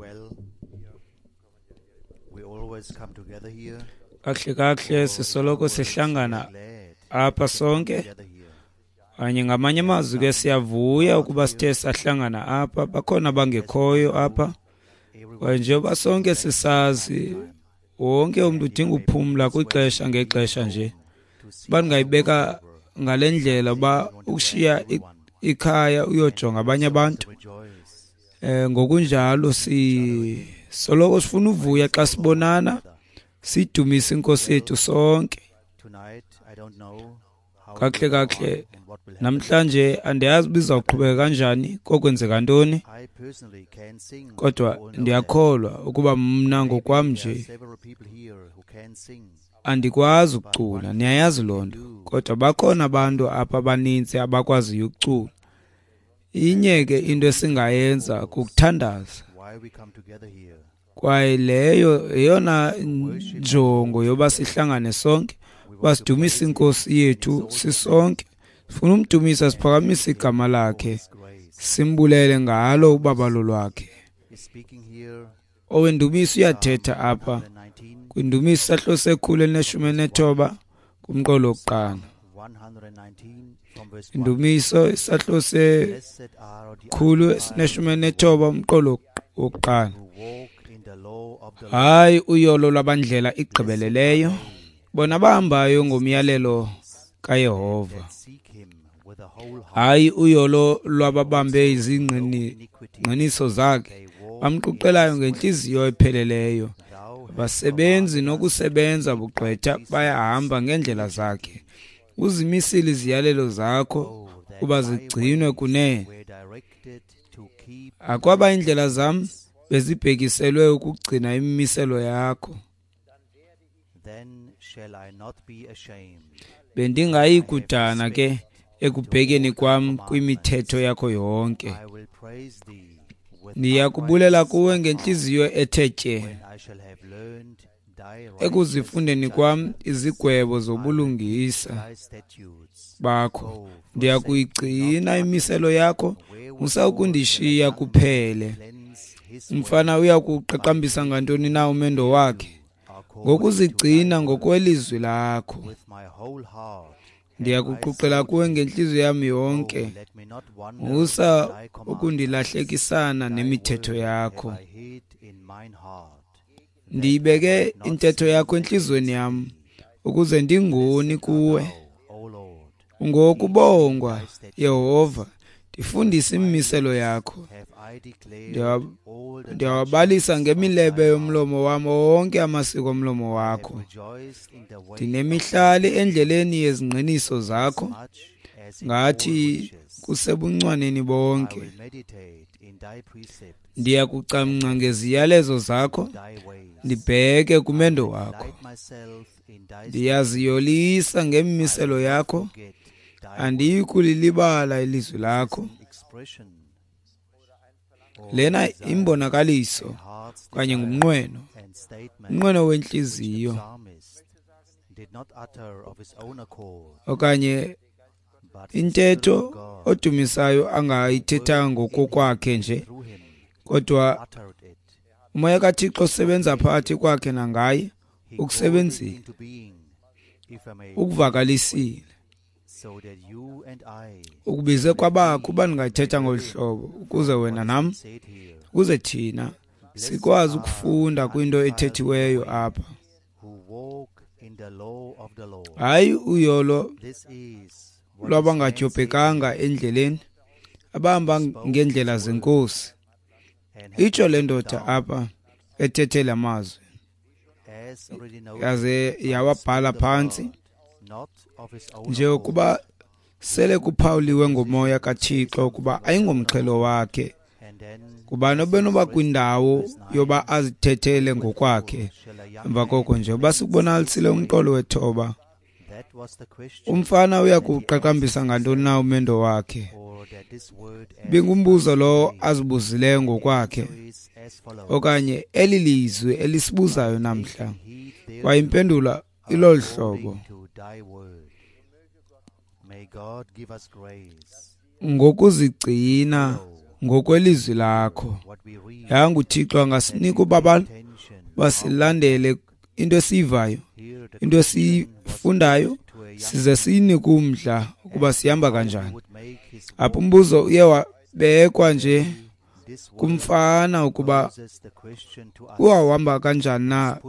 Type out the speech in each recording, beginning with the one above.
Well, we always come together here. Kakuhle kakuhle sisoloko sihlangana Glad apha sonke. together here. Kanye ngamanye amazwi ke siyavuya ukuba sithe sahlangana apha. Bakhona abangekhoyo apha. Everyone Kwaye njengoba sonke sisazi, wonke umntu udinga uphumla kwixesha ngexesha nje. to see Uba ndingayibeka ngale ndlela uba ukushiya ikhaya uyojonga abanye abantu. rejoice. Ngokunjalo sisoloko sifuna uvuya xa sibonana, sidumise inkosi yethu sonke. Tonight, I don't know how it Kakuhle will go kakuhle on and what will happen. namhlanje andiyazi uba izawuqhubeka kanjani, kokwenzeka ntoni, I personally can sing. kodwa You all know that. ndiyakholwa ukuba mna ngokwam There are nje several people here who can sing. andikwazi ukucula, niyayazi loo nto. Kodwa bakhona abantu apha abanintsi abakwaziyo ukucula. Inye ke into esingayenza kukuthandaza. Why we come together here? Kwaye leyo yeyona njongo yoba sihlangane sonke, uba sidumise inkosi yethu sisonke. Sifuna umdumisa, siphakamise igama lakhe, His grace simbulele ngalo ubabalo lwakhe. is speaking here. Owendumiso uyathetha apha 119, kwindumiso isahluko sekhulu elineshumi elinethoba kumqolo wokuqala. 119 from verse 1. Indumiso isahluko sekhulu Blessed are the esineshumi elinethoba umqolo wokuqala. who walk in the law of the Lord. Hayi uyolo lwabandlela igqibeleleyo, bona bahambayo ngomyalelo kaYehova. That seek him with a whole heart. Hayi uyolo lwababambe izingqiniso zakhe, They walk bamquqelayo ngentliziyo epheleleyo. thou hast Abasebenzi nokusebenza bugqwetha bayahamba ngeendlela zakhe. Uzimisile iziyalelo zakho uba zigcinwe kunene. were directed to keep. Akwaba iindlela zam bezibhekiselwe ukugcina imimiselo yakho. Then shall I not be ashamed. Bendingayi kudana ke ekubhekeni kwam kwimithetho yakho yonke. I will praise thee with Ndiyakubulela uprightness kuwe of ngentliziyo ethe tye. heart, when I shall have learned thy Ekuzifundeni kwam righteous izigwebo zobulungisa thy statutes. bakho, ndiyakuyigcina imiselo yakho, Wherewithal musa ukundishiya shall a young kuphele. cleanse his way Umfana uyakuqaqambisa ngantoni na umendo wakhe? according to thy Ngokuzigcina word. ngokwelizwi lakho. With my whole heart have I Ndiyakuquqela sought kuwe thee. ngentliziyo yam Oh, yonke. let me not wander Musa from thy commandments. ukundilahlekisana Thy nemithetho word yakho. have I hid in mine heart, that I Ndiyibeke might not intetho sin yakho entliziyweni against yam, thee. ukuze ndingoni Blessed art kuwe. thou, O Lord, Ngokubongwa, thy statutes. Yehova, ndifundise imimiselo yakho. Have I declared all the Ndiyawabalisa judgments of ngemilebe thy mouth. yomlomo wam wonke amasiko omlomo I have wakho. rejoiced in the way of Ndinemihlali endleleni yezingqiniso as zakho, much as in all ngathi riches. kusebuncwaneni I bonke. will meditate in thy precepts, Ndiyakucamngca ngeziyalezo zakho, thy ways. ndibheke kumendo I will wakho. delight myself in thy Ndiyaziyolisa ngemimiselo I will not yakho, forget thy word. andiyi kulilibala ilizwi lakho. An expression or Lena desire, imbonakaliso a heart's okanye desire ngumnqweno, and statement umnqweno which the wentliziyo psalmist did not utter of his own accord, okanye but the Spirit intetho of God odumisayo angayithethanga ngokokwakhe nje, through him kodwa uttered it. umoya kaThixo osebenza phakathi kwakhe nangaye He called it ukusebenzile, into being, if I may, ukuvakalisile, so that you and I ukubize kwabakho uba ndingayithetha ngolu hlobo, ukuze wena nam, said here, ukuze thina sikwazi ukufunda kwinto ethethiweyo apha. who walk in the law of the Lord. Hayi uyolo This is what this man said lwabangadyobhekanga endleleni, abahamba ngeendlela zenkosi. and had Itsho le written ndoda down, apha ethethe la mazwi, as already noted yaze by the yawabhala Spirit of phantsi, God, not of his own njengokuba sele kuphawuliwe ngomoya kaThixo ukuba ayingomxhelo wakhe. accord. And then Kubani obenoba kwindawo yoba azithethele ngokwakhe? shall a young Emva koko nje uba sikubonakalisile umqolo wethoba, that was the question, umfana uyakuqaqambisa ngantoni na umendo wakhe? or that this word Bingumbuzo lowo azibuzileyo ngokwakhe, is as follows. okanye eli lizwi elisibuzayo namhla. Heed thereto Kwaye impendulo ilolu hlobo: according to thy word. May God give us grace ngokuzigcina ngokwelizwi lakho. Yanga uThixo angasinika ubabalo basilandele into esiyivayo, into esiyifundayo, size siyinike umdla ukuba sihamba kanjani. Apha umbuzo uye wabekwa nje kumfana ukuba uwahamba kanjani na.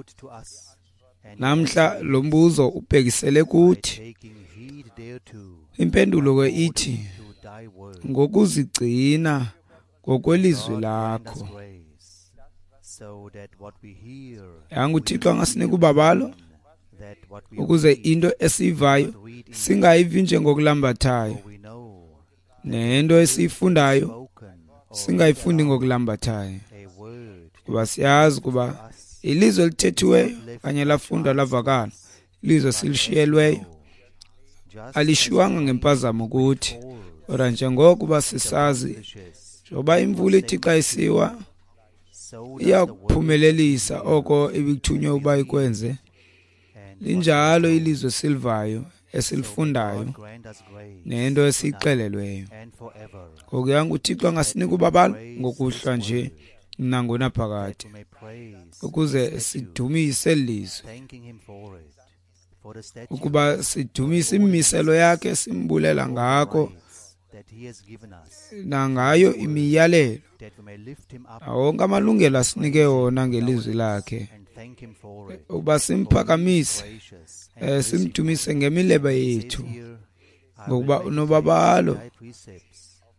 Namhla lo mbuzo ubhekisele kuthi. Impendulo ke ithi ngokuzigcina ngokwelizwi lakho. Yanga uThixo angasinika ubabalo ukuze into esiyivayo singayivi njengokulambathayo, nento esiyifundayo singayifundi ngokulambathayo, kuba siyazi kuba ilizwe elithethiweyo kanye lafundwa lavakala, ilizwe silishiyelweyo alishiwanga ngempazamo kuthi. Kodwa njengokuba sisazi, njengoba imvula ithi xa isiwa iyakuphumelelisa oko ibithunywe uba ikwenze, linjalo ilizwe silivayo esilifundayo nento esiyixelelweyo. Ngoku yanga uThixo angasinika ubabalo ngokuhlwa nje nangonaphakade, ukuze sidumise lizwe, ukuba sidumise imimiselo yakhe, simbulela ngako nangayo imiyalelo wonke amalungelo asinike wona ngelizwi lakhe, ukuba simphakamise, simdumise ngemilebe yethu, ngokuba unobabalo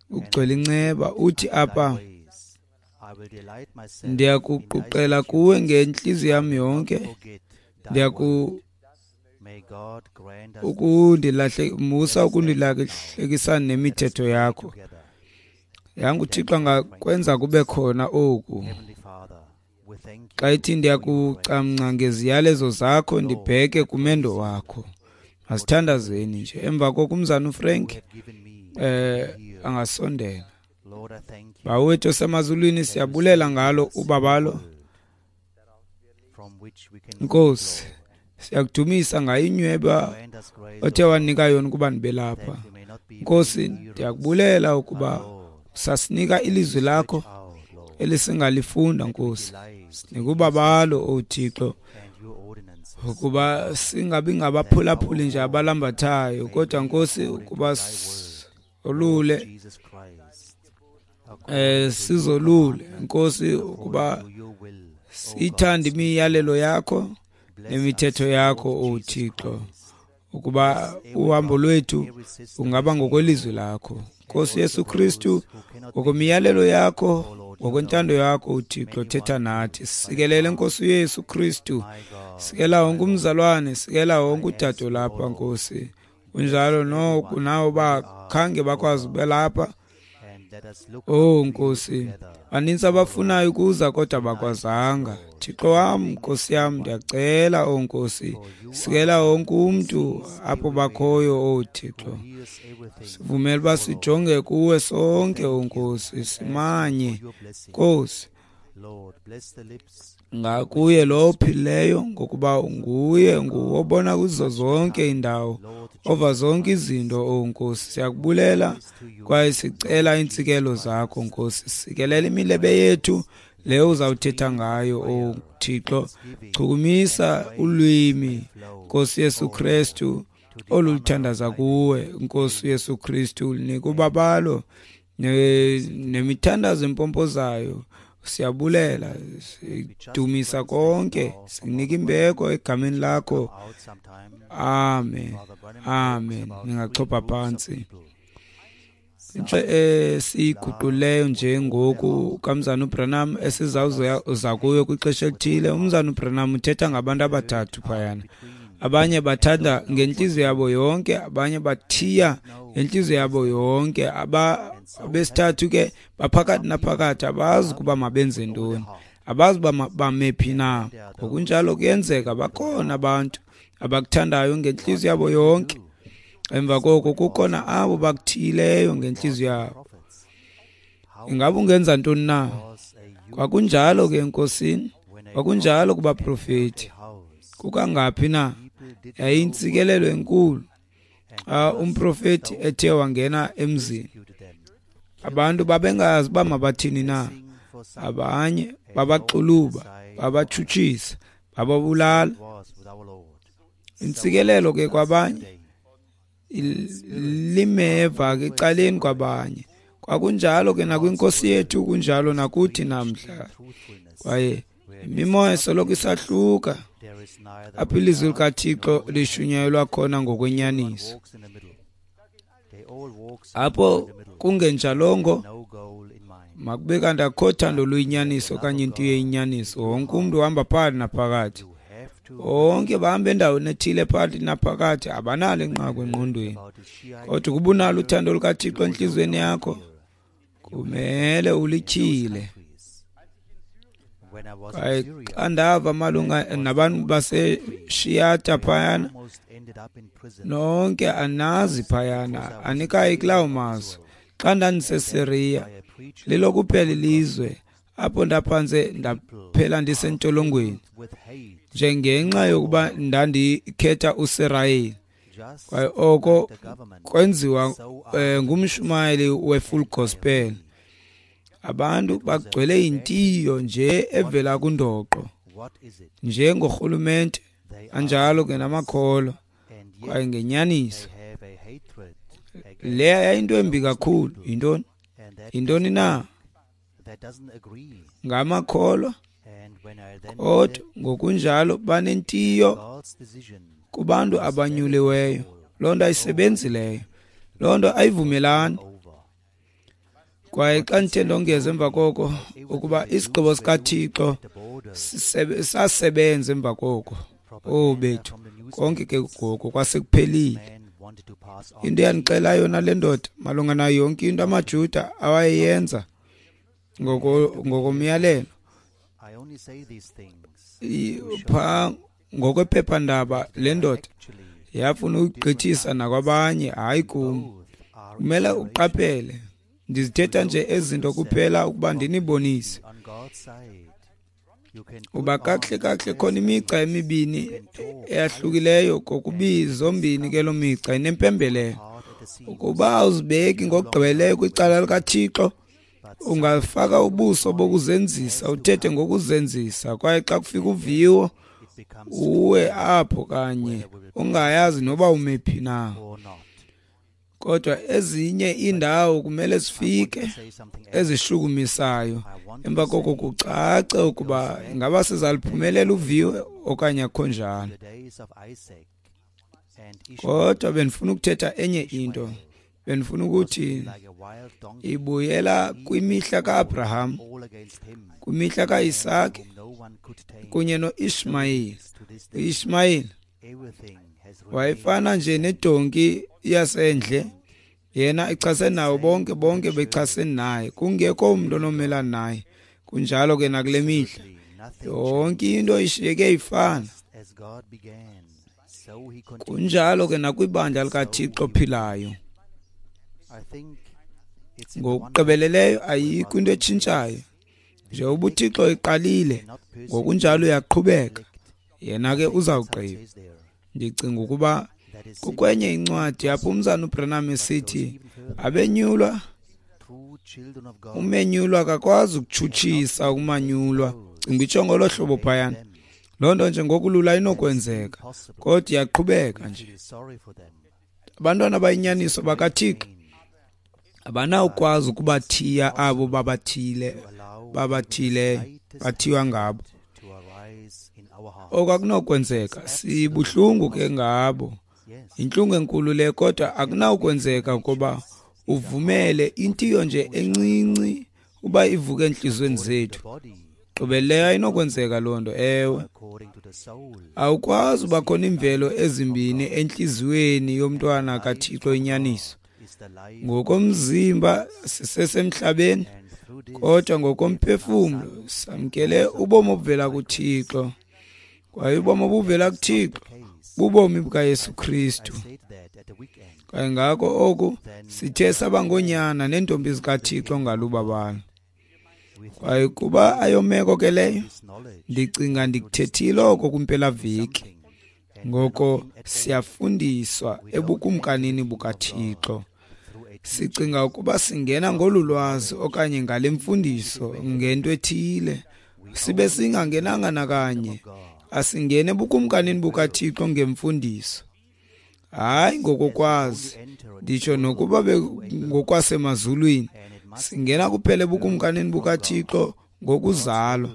ugcwele inceba. Uthi apha, ndiyakuquqela kuwe ngentliziyo yam yonke, musa ukundilahlekisa nemithetho yakho. Yanga uThixo angakwenza kube khona oku. Xa ithi ndiyakucamngca ngeziyalezo zakho, ndibheke kumendo wakho. Masithandazeni nje. Emva koko umzana uFrank angasondela. Bawo wethu osemazulwini, siyabulela ngalo ubabalo. Nkosi, siyakudumisa ngayo inyweba othe wanika yona ukuba ndibe lapha. Nkosi, ndiyakubulela ukuba sasinika ilizwi lakho elisingalifunda. Nkosi, sinika ubabalo, o Thixo, ukuba singabi ngabaphulaphuli nje abalambathayo, kodwa Nkosi ukuba olule sizolule, Nkosi, ukuba siyithande imiyalelo yakho nemithetho yakho, o Thixo, ukuba uhambo lwethu ungaba ngokwelizwi lakho. Nkosi Yesu Kristu, ngokwemiyalelo yakho, ngokwentando yakho, uThixo, thetha nathi. Sikelele Nkosi Yesu Kristu, sikela wonke umzalwane, sikela wonke udade lapha, Nkosi. Kunjalo noko nawo bakhange bakwazi belapha. Oh Nkosi, baninzi abafunayo ukuza kodwa bakwazanga. Thixo wam, Nkosi yam, ndiyacela, oh Nkosi, sikela wonke umntu apho bakhoyo, oh Thixo. Sivumele uba sijonge kuwe sonke, oh Nkosi, simanye, Nkosi, ngakuye lo ophilileyo, ngokuba nguye nguwobona kuzo zonke iindawo, ova zonke izinto, oh Nkosi. Siyakubulela kwaye sicela iintsikelo zakho, Nkosi. Sikelela imilebe yethu leyo uzawuthetha ngayo, oh Thixo. Chukumisa ulwimi, Nkosi Yesu Kristu, oluthandaza kuwe, Nkosi Yesu Kristu. Nika ubabalo nemithandazo empompozayo. Siyabulela, sidumisa konke, sinika imbeko egameni lakho. Amen, amen. Ningachopha phansi. Into esiyiguquleyo nje ngoku kamzana uBranham esizawuza kuyo kwixesha elithile. Umzana uBranham uthetha ngabantu abathathu phayana. Abanye bathanda ngentliziyo yabo yonke, abanye bathiya ngentliziyo yabo yonke, abesithathu ke baphakathi naphakathi, abazi ukuba mabenze ntoni, abazi uba bame phi na. Ngokunjalo kuyenzeka bakhona abantu abakuthandayo ngentliziyo yabo yonke, emva koko kukhona abo bakuthiyileyo ngentliziyo yabo. Ingaba ungenza ntoni na? Kwakunjalo ke enkosini, kwakunjalo kubaprofeti. Kukangaphi na yayintsikelelo enkulu xa umprofeti ethe wangena emzini. Abantu babengazi uba mabathini na. Abanye babaxuluba, babatshutshisa, bababulala. Intsikelelo ke kwabanye, limeva ke ecaleni kwabanye. Kwakunjalo ke nakwiNkosi yethu, kunjalo nakuthi namhla. Kwaye imimoya isoloko isahluka apho ilizwi likaThixo lishunyayelwa khona ngokwenyaniso. Apho kungenjalongo, makube kanti akho thando luyinyaniso okanye into eyinyaniso. Wonke umntu uhamba phakathi naphakathi, bonke bahamba endaweni ethile phakathi naphakathi, abanalo inqaku engqondweni. Kodwa ukuba unalo uthando lukaThixo entliziyweni yakho, kumele ulityhile. Kwaye xa ndava malunga nabantu baseShiyata phayana, nonke anazi phayana, anikayi kulawo mazwe. Xa ndandiseSiriya, lilo kuphela ilizwe apho ndaphantse ndaphela ndisentolongweni njengenxa yokuba ndandikhetha uSirayeli. Kwaye oko kwenziwa ngumshumayeli we-Full Gospel. Abantu bagcwele intiyo nje evela kundoqo, njengorhulumente, anjalo ke namakholwa. Kwaye ngenyaniso leya yayinto embi kakhulu. Yintoni? Yintoni na? Ngamakholwa, kodwa ngokunjalo banentiyo kubantu abanyuliweyo. Loo nto ayisebenzi leyo, loo nto ayivumelani. Kwaye xa ndithe ndongeza emva koko ukuba isigqibo sikaThixo sasebenza emva koko, oh bethu, konke ke ngoku kwasekuphelile. Into eyandixela yona le ndoda malunga nayo yonke into amaJuda awayeyenza ngokomyalelo phaa ngokwephephandaba, le ndoda yafuna ukugqithisa nakwabanye, hayi kum. Kumele uqaphele, ndizithetha nje ezinto kuphela ukuba ndinibonise uba kakuhle kakuhle khona imigca emibini eyahlukileyo, kokubi zombini ke loo migca inempembelelo. Ukuba awuzibeki ngokugqibeleleyo kwicala likaThixo, ungafaka ubuso bokuzenzisa, uthethe ngokuzenzisa, kwaye xa kufika uviwo uwe apho kanye ungayazi noba umephi na. Kodwa ezinye iindawo kumele sifike ezishukumisayo, emva koko kucace ukuba ingaba sizaliphumelela uviwo okanye akho njalo. Kodwa bendifuna ukuthetha enye into. Bendifuna ukuthi ibuyela kwimihla kaAbraham, kwimihla kaIsake kunye noIshmayeli. UIshmayeli wayefana nje nedonki yasendle, yena echasene nawo bonke, bonke bechasene naye, kungekho umntu onomelana naye. Kunjalo ke nakule mihla, yonke into ishiyeke ifana. Kunjalo ke nakwibandla likaThixo ophilayo. Ngokugqibeleleyo ayikho into etshintshayo. Njengoba uThixo eqalile, ngokunjalo uyaqhubeka, yena ke uzawugqiba. Ndicinga ukuba kukwenye incwadi apho umzana uBranham esithi abenyulwa, umenyulwa akakwazi ukutshutshisa ukumanyulwa. Cinga itsho ngolo hlobo phayana. Loo nto nje ngokulula inokwenzeka, kodwa iyaqhubeka nje. Abantwana abayinyaniso bakaThixo abanawukwazi ukubathiya abo babathileyo, bathiywa ngabo. Oku akunokwenzeka. Sibuhlungu ke ngabo, yintlungu enkulu le, kodwa akunawukwenzeka ukuba uvumele intiyo nje encinci uba ivuke entliziyweni zethu. Gqibeleyo ayinokwenzeka loo nto. Ewe, awukwazi uba khona iimvelo ezimbini entliziyweni yomntwana kaThixo inyaniso. Ngokomzimba sisesemhlabeni, kodwa ngokomphefumlo samkele ubomi obuvela kuThixo. Kwaye ubomi obuvela kuThixo bubomi bukaYesu Kristu. Kwaye ngako oku sithe saba ngoonyana neentombi zikaThixo ngalubabalo. Kwaye kuba ayomeko ke leyo, ndicinga ndikuthethile oko kwimpelaveki. Ngoko siyafundiswa ebukumkanini bukaThixo. Sicinga ukuba singena ngolu lwazi okanye ngale mfundiso ngento ethile, sibe singangenanga nakanye. Asingene ebukumkanini bukaThixo ngemfundiso, hayi ngokokwazi, nditsho nokuba ngokwasemazulwini. Singena kuphela ebukumkanini bukaThixo ngokuzalwa.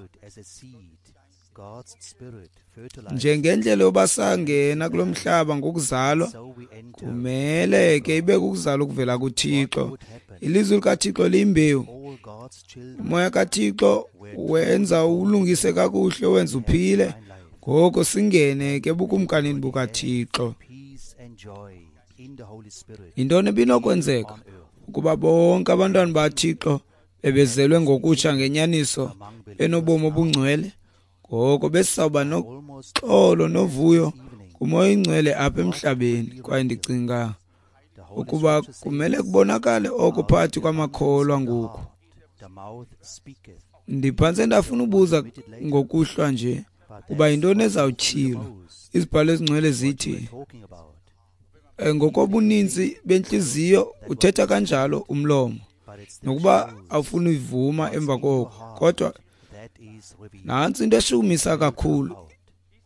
Njengendlela yoba sangena kulo mhlaba ngokuzalwa, kumele ke ibe kukuzalwa okuvela kuThixo. Ilizwi likaThixo liyimbewu. Umoya kaThixo wenza ulungise kakuhle, wenza uphile. Ngoko singene ke ebukumkanini bukaThixo. Yintoni ebinokwenzeka ukuba bonke abantwana baThixo bebezelwe ngokutsha ngenyaniso benobomi obungcwele? Ngoko besizawuba noxolo novuyo kuMoya oyiNgcwele apha emhlabeni. Kwaye ndicinga ukuba kumele kubonakale oko phakathi kwamakholwa ngoku. Ndiphantse ndafuna ubuza ngokuhlwa nje uba yintoni ezawutyhilwa. Izibhalo ezingcwele zithi ngokobuninzi bentliziyo uthetha kanjalo umlomo, nokuba awufuni uyivuma emva koko. Kodwa nantsi into eshukumisa kakhulu,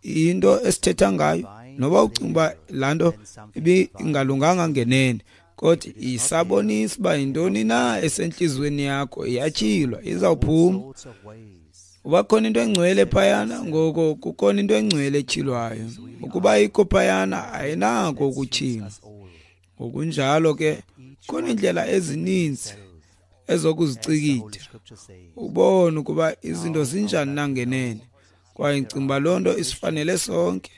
into esithetha ngayo, noba ucinga uba laa nto ibingalunganga ngenene, kodwa isabonisa uba yintoni na esentliziyweni yakho, iyatyhilwa, izawuphuma. Uba khona into engcwele phayana, ngoko kukhona into engcwele etyhilwayo. Ukuba ikho phayana, ayinako ukutyhilwa. Ngokunjalo ke khona iindlela ezininzi ezokuzicikida, ubone ukuba izinto zinjani na ngenene. Kwaye ndicinga uba loo nto isifanele sonke.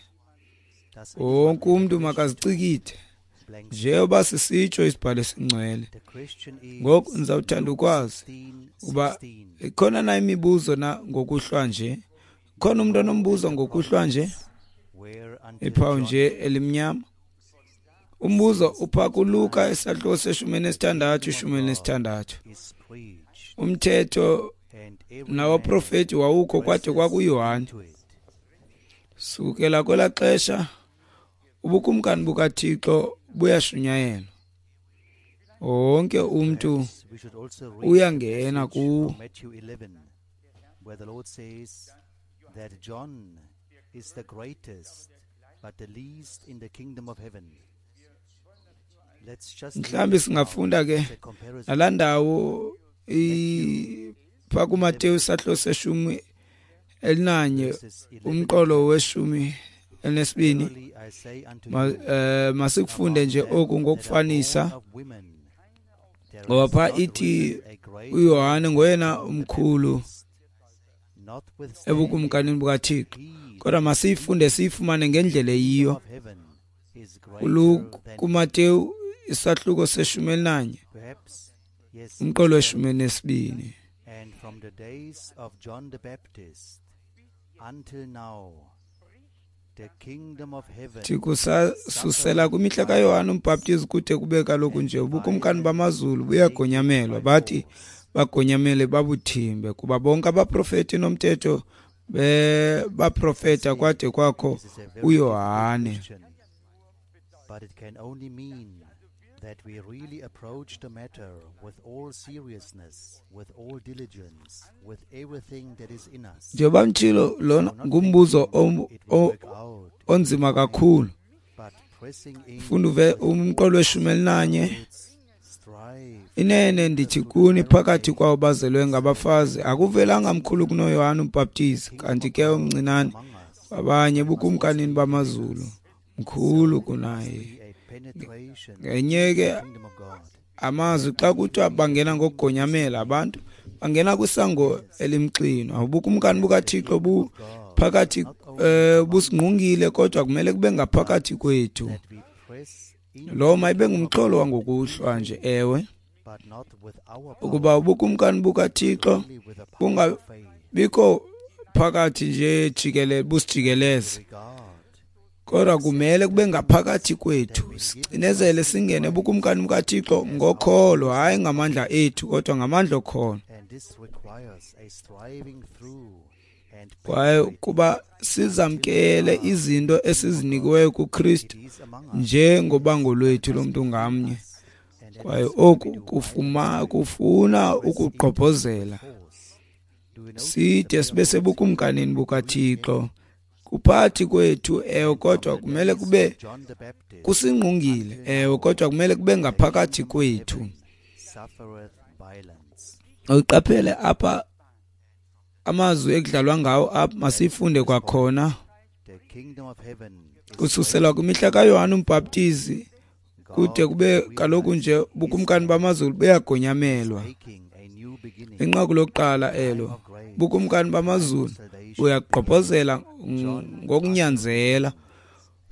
Wonke umntu makazicikide njengoba sisitsho isibhalo esingcwele. Ngoku ndizawuthanda ukwazi uba ikhona na imibuzo na ngokuhlwa nje. Khona umntu onombuzo ngokuhlwa nje? Iphawu nje elimnyama. Umbuzo upha kuLuka isahluko se-16 16. Umthetho nawaprofeti wawukho kwade kwakuYohane. Sukela kwelaa xesha ubukumkani bukaThixo buyashunyayelwa, wonke umntu uyangena kuwo. Mhlawumbi singafunda ke nalaa ndawo phaa kuMateyu isahluko se-11 umqolo we-12. Masikufunde nje oku ngokufanisa, ngoba phaa ithi uYohane ngoyena umkhulu ebukumkanini bukaThixo. Kodwa masiyifunde siyifumane ngendlela eyiyo. KuMateyu isahluko se-11 umqolo we-12. And from the days of John the Baptist until now, the kingdom of heaven Kusasusela kwimihla kaYohane umbhaptizi kude kube kaloku nje ubukumkani bamazulu buyagonyamelwa, bathi bagonyamele babuthimbe, kuba bonke abaprofeti nomthetho baprofeta kwade kwakho uYohane. But it can only mean that we really approach the matter with all seriousness, with all diligence, with everything that is in us. Njengoba mtshilo, lona ngumbuzo onzima kakhulu. Funda uve umqolo we-11. Inene ndithi kuni, phakathi kwawo bazelwe ngabafazi akuvelanga mkhulu kunoYohane umbhaptizi, kanti ke omncinane abanye bukumkanini bamazulu mkhulu kunaye. Ngenye ke amazwi, xa kuthiwa bangena ngokugonyamela, abantu bangena kwisango elimxinwa. Ubukumkani bukaThixo buphakathi, busingqungile, kodwa kumele kube ngaphakathi kwethu. Lo mayibe ngumxholo wangokuhlwa nje, ewe, ukuba ubukumkani bukaThixo bungabikho phakathi nje jikelele, busijikeleze, kodwa kumele kube ngaphakathi kwethu. Sicinezele singene ebukumkani bukaThixo ngokholo, hayi ngamandla ethu, kodwa ngamandla okholo. Kwaye kuba sizamkele izinto esizinikiweyo kuKristu njengobango lwethu lomntu ngamnye, Kwaye oku kufuna ukugqobhozela side sibe sebukumkanini bukaThixo. Kuphathi kwethu, ewe, kodwa kumele kube kusingqungile, ewe, kodwa kumele kube ngaphakathi kwethu. Uqaphele apha amazwi ekudlalwa ngawo apha, masifunde kwakhona. Kususelwa kwimihla kaYohane uMbhaptizi kude kube kaloku nje ubukumkani bamazulu buyagonyamelwa. Inqaku lokuqala elo, ubukumkani bamazulu buyagqobhozela ngokunyanzela.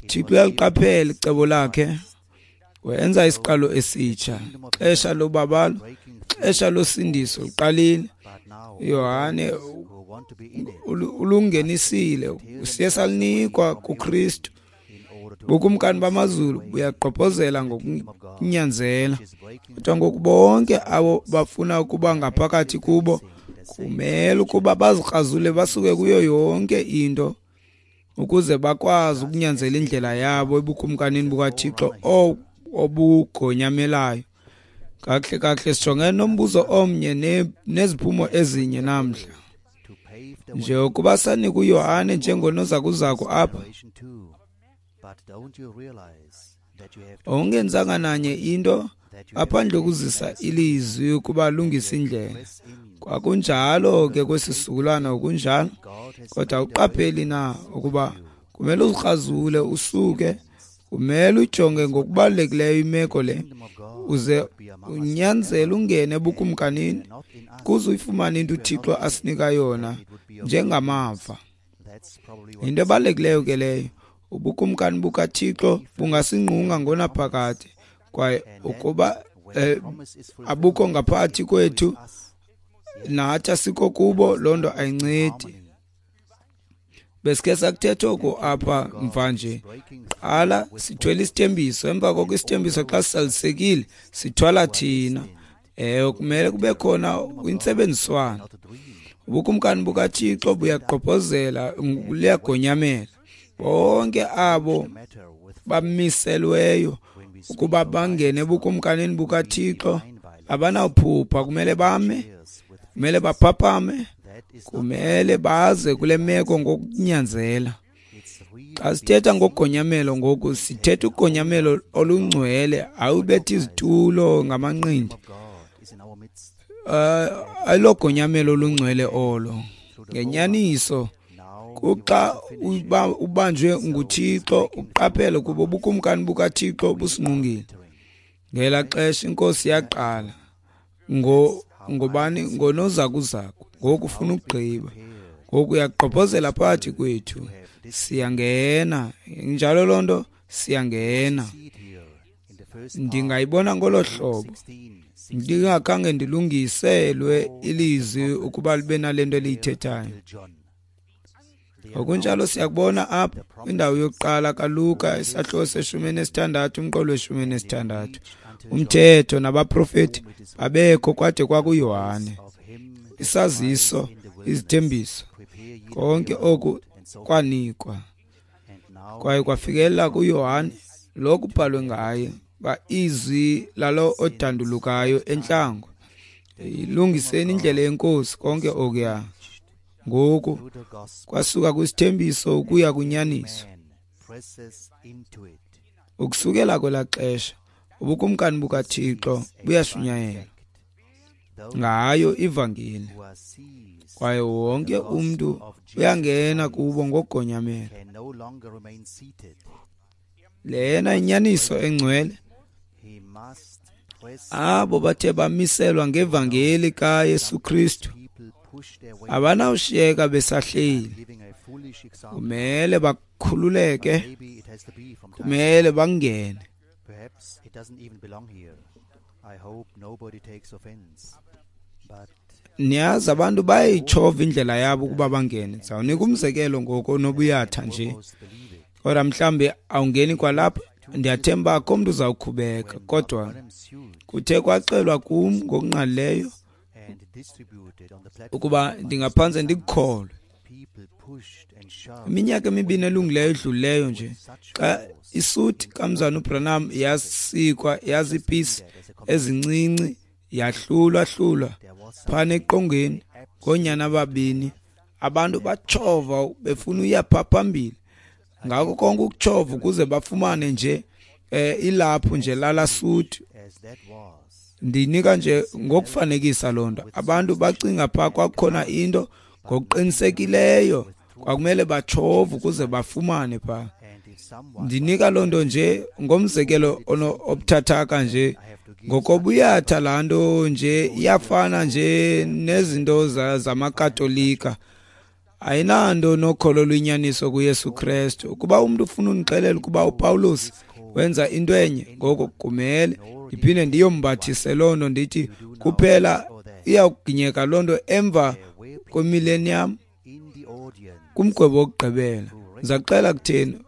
Thixo uyaliqaphela icebo lakhe, wenza isiqalo esitsha. Xesha lobabalo, xesha losindiso liqalile. Yohane ulungenisile, siye salinikwa kuKristu. Bukumkani bamazulu buyagqobhozela ngokunyanzela. Kodwa ngoku bonke abo bafuna ukuba ngaphakathi kubo kumele ukuba bazikrazule basuke kuyo yonke into ukuze bakwazi ukunyanzela indlela yabo ebukumkanini bukaThixo obugonyamelayo. Kakuhle kakuhle sijongene nombuzo omnye neziphumo ezinye namhla. Nje ukuba sanika uYohane njengonozakuzaku apha, ongenzanga nanye into ngaphandle kokuzisa ilizwi ukuba lungisa indlela. Kwakunjalo ke kwesi sizukulwana, kunjalo. Kodwa uqapheli na ukuba kumele uzikrazule usuke, kumele ujonge ngokubalulekileyo imeko le, uze unyanzele ungene ebukumkanini kuze uyifumane into uThixo asinika yona njengamava. Into ebalulekileyo ke leyo. Ubukumkani bukaThixo bungasingqunga ngonaphakade, kwaye ukuba abukho ngaphakathi kwethu nathi asikho kubo, loo nto ayincedi. Besikhe sakuthetha oku apha mva nje. Qala sithwele isithembiso, emva koko isithembiso xa sisalisekile sithwala thina. Ewe, kumele kube khona intsebenziswano. Ubukumkani bukaThixo buyagqobhozela, liyagonyamela. Bonke abo bamiselweyo ukuba bangene ebukumkanini bukaThixo abanawuphupha, kumele bame, kumele baphaphame, kumele baze kule meko ngokunyanzela. Xa sithetha ngogonyamelo ngoku, sithetha ugonyamelo olungcwele, awubethi izitulo ngamanqindi. Ayilogonyamelo olungcwele olo. Ngenyaniso, kuxa ubanjwe nguThixo, uqaphele ukuba ubukumkani bukaThixo busingqungile. Ngela xesha inkosi yaqala ngobani? Ngonozakuzaku. Ngoku ufuna ukugqiba, ngoku uyagqobhozela phakathi kwethu. Siyangena, njalo loo nto, siyangena. Ndingayibona ngolo hlobo, ndingakhange ndilungiselwe ilizwi ukuba libe nale nto eliyithethayo. Ngokunjalo siyakubona apha kwindawo yokuqala kaLuka isahluko se-16 umqolo we-16. Umthetho nabaprofeti babekho kwade kwakuYohane. Isaziso, izithembiso, konke oku kwanikwa kwaye kwafikelela kuYohane lo kubhalwe ngaye ba izwi lalo odandulukayo entlango, ilungiseni indlela yenkosi, konke okuya. Ngoku kwasuka kwisithembiso ukuya kwinyaniso. Ukusukela kwelaa xesha ubukumkani bukaThixo buyashunyayelwa ngayo ivangeli, kwaye wonke umntu uyangena kubo ngogonyamelo. Lena inyaniso engcwele. Abo bathe bamiselwa ngevangeli kaYesu Kristu abanawushiyeka besahleli. Kumele bakhululeke, kumele bangene. Niyazi abantu bayayitshova indlela yabo ukuba bangene. Ndizawunika umzekelo ngoku onobuyatha nje, kodwa mhlawumbi awungeni kwalapha. Ndiyathemba akho mntu uzawukhubeka, kodwa kuthe kwaxelwa kum ngokungqalileyo ukuba ndingaphantse ndikukholwe. Iminyaka emibini elungileyo edlulileyo nje, xa isuti kamzana uBranham yasikwa yazipisi ezincinci yahlulwa-hlulwa phana eqongeni ngoonyana ababini, abantu batshova befuna uya pha phambili ngako konke ukutshova ukuze bafumane nje ilaphu nje lala suti. Ndinika nje ngokufanekisa loo nto. Abantu bacinga pha kwakukhona into ngokuqinisekileyo kwakumele batshove ukuze bafumane pha. Ndinika loo nto nje ngomzekelo obuthathaka nje ngokobuyatha laa nto nje iyafana nje nezinto zamaKatolika. Ayinanto nokholo lwenyaniso kuYesu Kristu. Ukuba umntu ufuna undixelela ukuba uPawulos wenza into enye, ngoko kumele ndiphinde ndiyombathise loo nto ndithi kuphela iyawuginyeka loo nto emva kwemillennium kumgwebo wokugqibela. Ndiza kuxela kutheni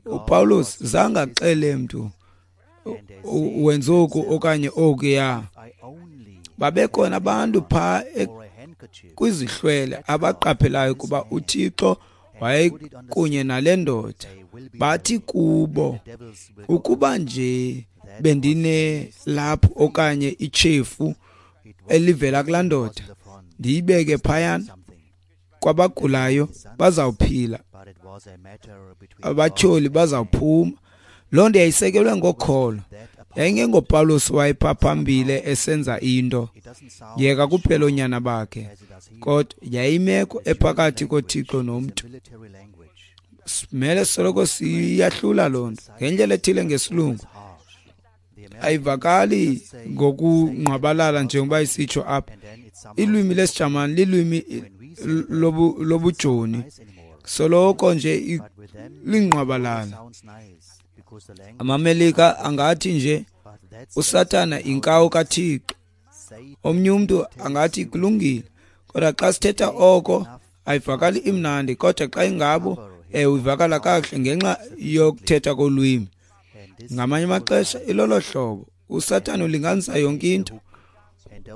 uPawulos zange axele mntu wenza oku okanye okuya. Babekhona abantu phaa kwizihlwele abaqaphelayo ukuba uThixo wayekunye nale ndoda. Bathi kubo, ukuba nje bendinelaphu okanye itshefu elivela kulaa ndoda ndiyibeke phayana kwabagulayo bazawuphila, abatyholi bazawuphuma. Loo nto yayisekelwe ngokholo. YayingengoPawulos wayepha phambili esenza into yeka kuphela oonyana bakhe, kodwa yayimeko ephakathi koThixo nomntu. Simele soloko siyahlula loo nto ngendlela ethile ngesilungu. Ayivakali ngokungqwabalala njengoba isitsho apha. Ilwimi lesiJamani lilwimi lobujoni, soloko nje lingqwabalala. AmaMelika angathi nje uSathana inkawu kaThixo, omnye umntu angathi kulungile, kodwa xa sithetha oko ayivakali imnandi, kodwa xa ingabo ivakala kakuhle ngenxa yokuthetha kolwimi. Ngamanye amaxesha ilolo hlobo uSathana ulinganisa yonke into,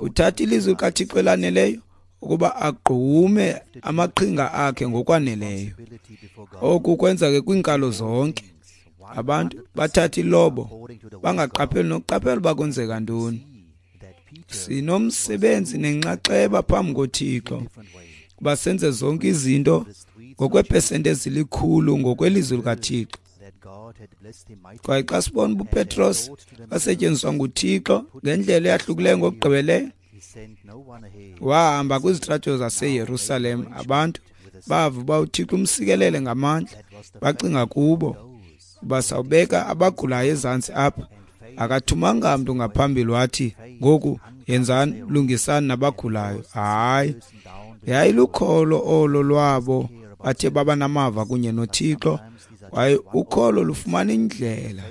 uthatha ilizwi likaThixo elaneleyo ukuba agqume amaqhinga akhe ngokwaneleyo. Oku kwenzeke kwiinkalo zonke. Abantu bathatha ilobo bangaqapheli nokuqaphela uba kwenzeka ntoni. Sinomsebenzi nenxaxheba phambi koThixo kuba senze zonke izinto ngokweepesenti ezilikhulu ngokwelizwi likaThixo. Kwaye xa sibona uba uPetros wasetyenziswa nguThixo ngendlela eyahlukileyo ngokugqibeleyo, wahamba kwizitrato zaseYerusalem, abantu bava uba uThixo umsikelele ngamandla, bacinga kubo uba sawubeka abagulayo ezantsi apha. Akathumanga mntu ngaphambili wathi ngoku yenzani, lungisani nabagulayo. Hayi, yayilukholo olo lwabo bathe baba namava kunye noThixo. Kwaye ukholo lufumana indlela,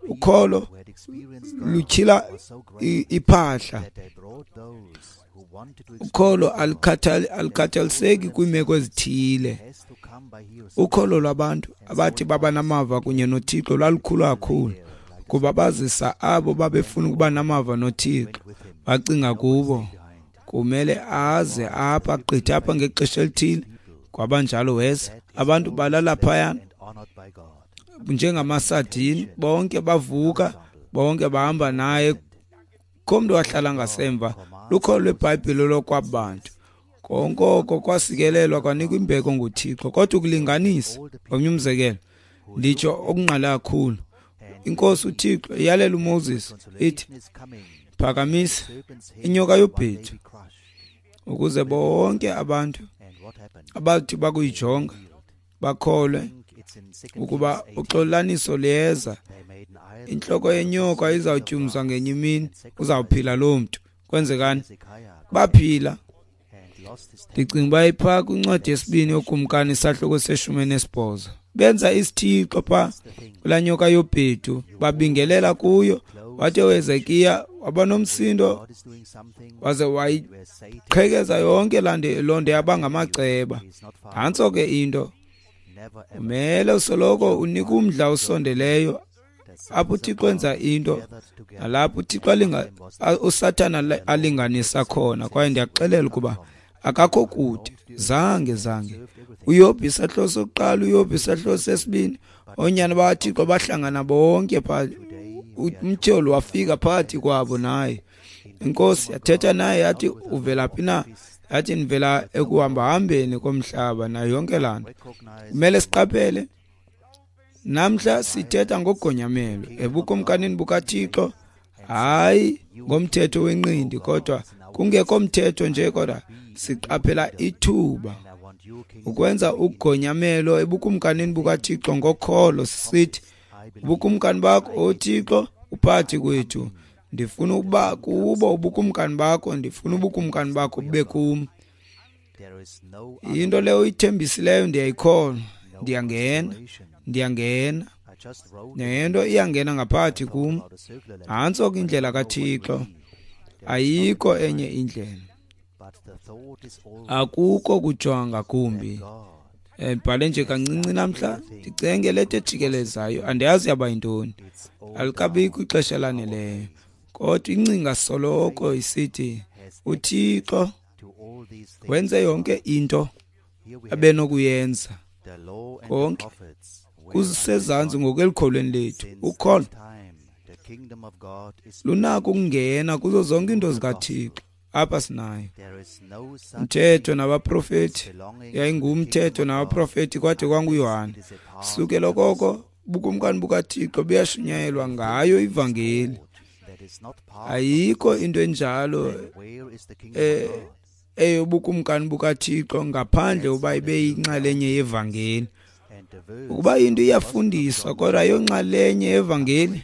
ukholo lutyhila iphahla. Ukholo alikhathaliseki kwiimeko ezithile. Ukholo lwabantu abathi baba namava kunye noThixo lwalukhulu kakhulu kuba bazisa abo babefuna ukuba namava noThixo. Bacinga kubo kumele aze apha agqithe apha ngexesha elithile. Kwabanjalo weza, abantu balala phayana njengamasadini, bonke bavuka, bonke bahamba naye. Kho mntu wahlala ngasemva. Lukholo lweBhayibhile lokwabantu. Konke oko kwasikelelwa kwanikwa imbeko nguThixo. Kodwa ukulinganisa, omnye umzekelo, nditsho okungqala kakhulu, iNkosi uThixo iyalela uMoses ithi, phakamisa inyoka yobhedu ukuze bonke abantu abathi bakuyijonga bakholwe ukuba uxolaniso liyeza. Intloko yenyoka izawutyumzwa ngenye imini, uzawuphila loo mntu. Kwenzekani? Baphila. Ndicinga uba iphaa kwincwadi yesibini yoKumkani isahluko se-18. Benza isithixo phaa kulaa nyoka yobhedu, babingelela kuyo. Wathi uHezekiya waba nomsindo waze wayiqhekeza yonke loo nto yaba ngamaceba. Nantso ke into. Umele usoloko unika umdla osondeleyo apho uThixo enza into nalapho uThixo uSathana alinganisa khona. Kwaye ndiyakuxelela ukuba akakho kude. Zange zange. UYobhi isahluko sokuqala, uYobhi isahluko sesibini, oonyana bakaThixo bahlangana bonke phaa. Umtyholi wafika phakathi kwabo naye. Inkosi yathetha naye yathi, uvela phi na? Yathi, ndivela ekuhambahambeni komhlaba nayo yonke laa nto. Kumele siqaphele namhla sithetha ngogonyamelo ebukumkanini bukaThixo, hayi ngomthetho wenqindi, kodwa kungekho mthetho nje, kodwa siqaphela ithuba ukwenza ugonyamelo ebukumkanini bukaThixo ngokholo, sithi ubukumkani bakho, oThixo, uphakathi kwethu. Ndifuna ukuba kubo ubukumkani bakho, ndifuna ubukumkani bakho bube kum. Into leyo uyithembisileyo ndiyayikholwa, ndiyangena, ndiyangena. Nento iyangena ngaphakathi kum. Nantso ke indlela kaThixo, ayikho enye indlela. Akukho kujonga ngakumbi. Ndibhale nje kancinci namhla, ndicenge leta ejikelezayo, andiyazi yaba yintoni, alikabikho ixesha elaneleyo. Kodwa ingcinga soloko isithi uThixo wenze yonke into abenokuyenza, konke kusezantsi ngokwelukholweni lethu. Ukholo lunako ukungena kuzo zonke iinto zikaThixo. Apha sinayo umthetho nabaprofeti, yayingumthetho nabaprofeti kwade kwanguYohane. Sukela koko ubukumkani bukaThixo buyashunyayelwa ngayo ivangeli. Ayikho into enjalo eyobukumkani bukaThixo ngaphandle uba ibe yinxalenye yevangeli. Ukuba into iyafundiswa kodwa ayonxalenye yevangeli,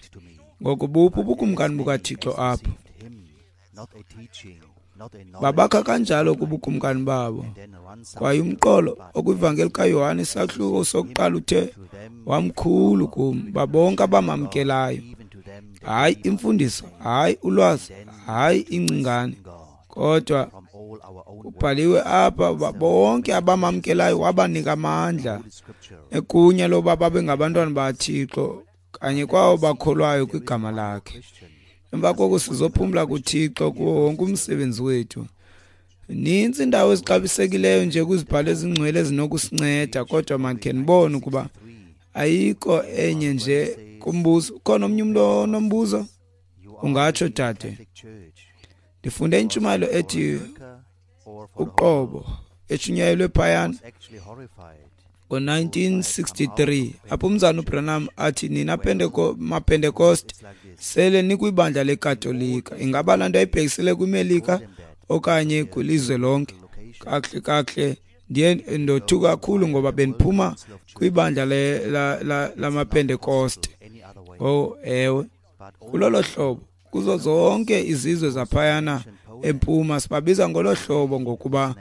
ngoko buphi ubukumkani bukaThixo apho? Babakha kanjalo kubukumkani babo. Kwaye umqolo okwivangeli kaYohane isahluko sokuqala uthe wamkhulu kum babonke abamamkelayo. Hayi imfundiso, hayi ulwazi, hayi ingcingane, kodwa ubhaliwe apha bonke abamamkelayo wabanika amandla egunya loba babe ngabantwana baThixo kanye kwawo bakholwayo kwigama lakhe. Emva koko sizophumla kuThixo kuwo wonke umsebenzi wethu. Nintsi indawo ezixabisekileyo nje kwizibhalo ezingcwele ezinokusinceda, kodwa mandikhe ndibone ukuba ayikho enye nje kumbuzo. Ukhona omnye umntu onombuzo? Ungatsho, dade. Ndifunde intshumayelo ethi uqobo eshunyayelwe phayana ngo-1963 apho umzana uBranham athi nina maPentecost sele nikwibandla leKatolika. Ingaba laa nto ayibhekisele kwiMelika okanye kwilizwe lonke? Kakuhle kakuhle ndiye ndothuka kakhulu ngoba bendiphuma kwibandla lamaPentecost. Oh ewe, kulolo hlobo kuzo zonke izizwe zaphayana empuma sibabiza ngolo hlobo ngokuba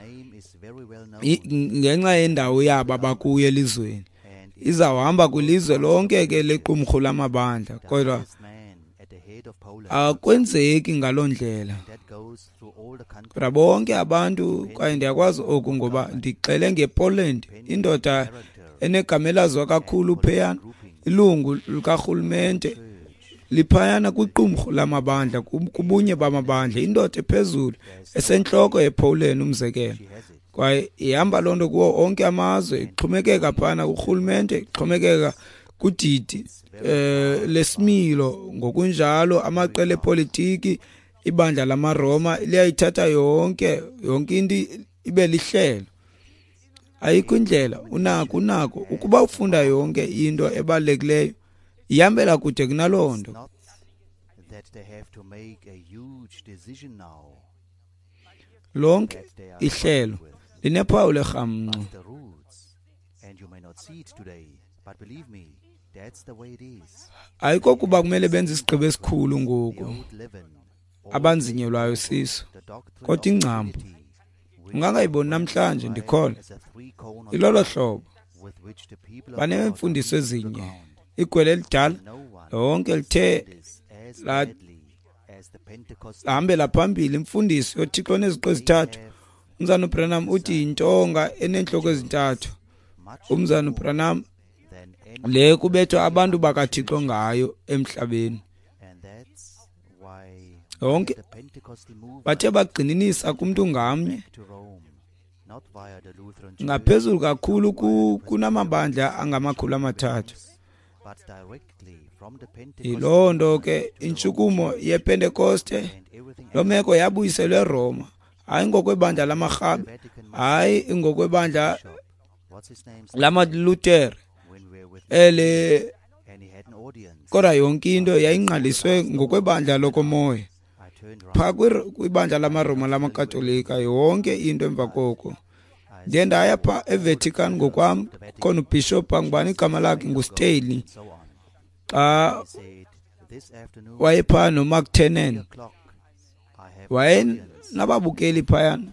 ngenxa yendawo yabo abakuyo elizweni. Izawuhamba kwilizwe lonke ke lequmrhu lamabandla, kodwa akwenzeki ngaloo ndlela. Kodwa bonke abantu, kwaye ndiyakwazi oku ngoba ndixele ngePoland, indoda enegama elaziwa kakhulu phayana, ilungu likarhulumente liphayana kwiqumrhu lamabandla, kubunye bamabandla, indoda ephezulu esentloko yePoland umzekelo. Kwaye ihamba loo nto kuwo onke amazwe, ixhomekeka phana kurhulumente, ixhomekeka kudidi lesimilo. Ngokunjalo amaqela epolitiki, ibandla lamaRoma liyayithatha yonke into ibe lihlelo. Ayikho indlela, unako ukuba ufunda yonke into ebalulekileyo, ihambela kude kunaloo nto. Lonke ihlelo linephawu lerhamncwa. Ayikokuba kumele benze isigqibo esikhulu ngoku abanzinyelwayo siso, kodwa ingcambu ungangayiboni namhlanje, ndikholwa ilolo hlobo. Baneemfundiso ezinye, igwele elidala lonke lithe lahambela phambili imfundiso yoThixo oneziqu ezithathu. Umzana uBranham uthi yintonga eneentloko ezintathu. Umzana uBranham le kubethwa abantu bakaThixo ngayo emhlabeni. Yonke bathe bagxininisa kumntu ngamnye. Ngaphezulu kakhulu kunamabandla angama-300. Yiloo nto ke intshukumo yePentekoste, loo meko yabuyiselwa eRoma, hayi ngokwebandla lamaRhabe, hayi ngokwebandla lamaLutere ele, kodwa yonke into yayingqaliswe ngokwebandla lokomoya. Phaa kwibandla lamaRoma lamaKatolika, yonke into emva koko. Ndiye ndaya phaa eVatican ngokwam, khona ubhishophu angubani igama lakhe, nguStanley, xa wayephaa noMark Tenen, wayenababukeli phayana.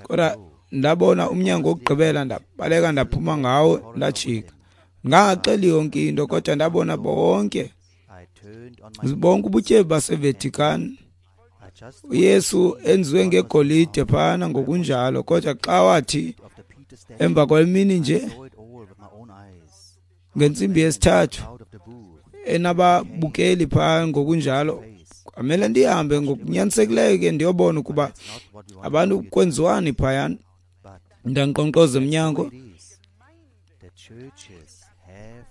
Kodwa ndabona umnyango wokugqibela, ndabaleka ndaphuma ngawo, ndajika. Ngangaxeli yonke into, kodwa ndabona bonke ubutyebi baseVatican. uYesu enziwe ngegolide phana ngokunjalo, kodwa xa wathi emva kwemini nje ngentsimbi yesithathu enababukeli phaa ngokunjalo, kwamele ndihambe ngokunyanisekileyo ke ndiyobona ukuba abantu kwenziwani phayana. Ndankqonkqoza emnyango,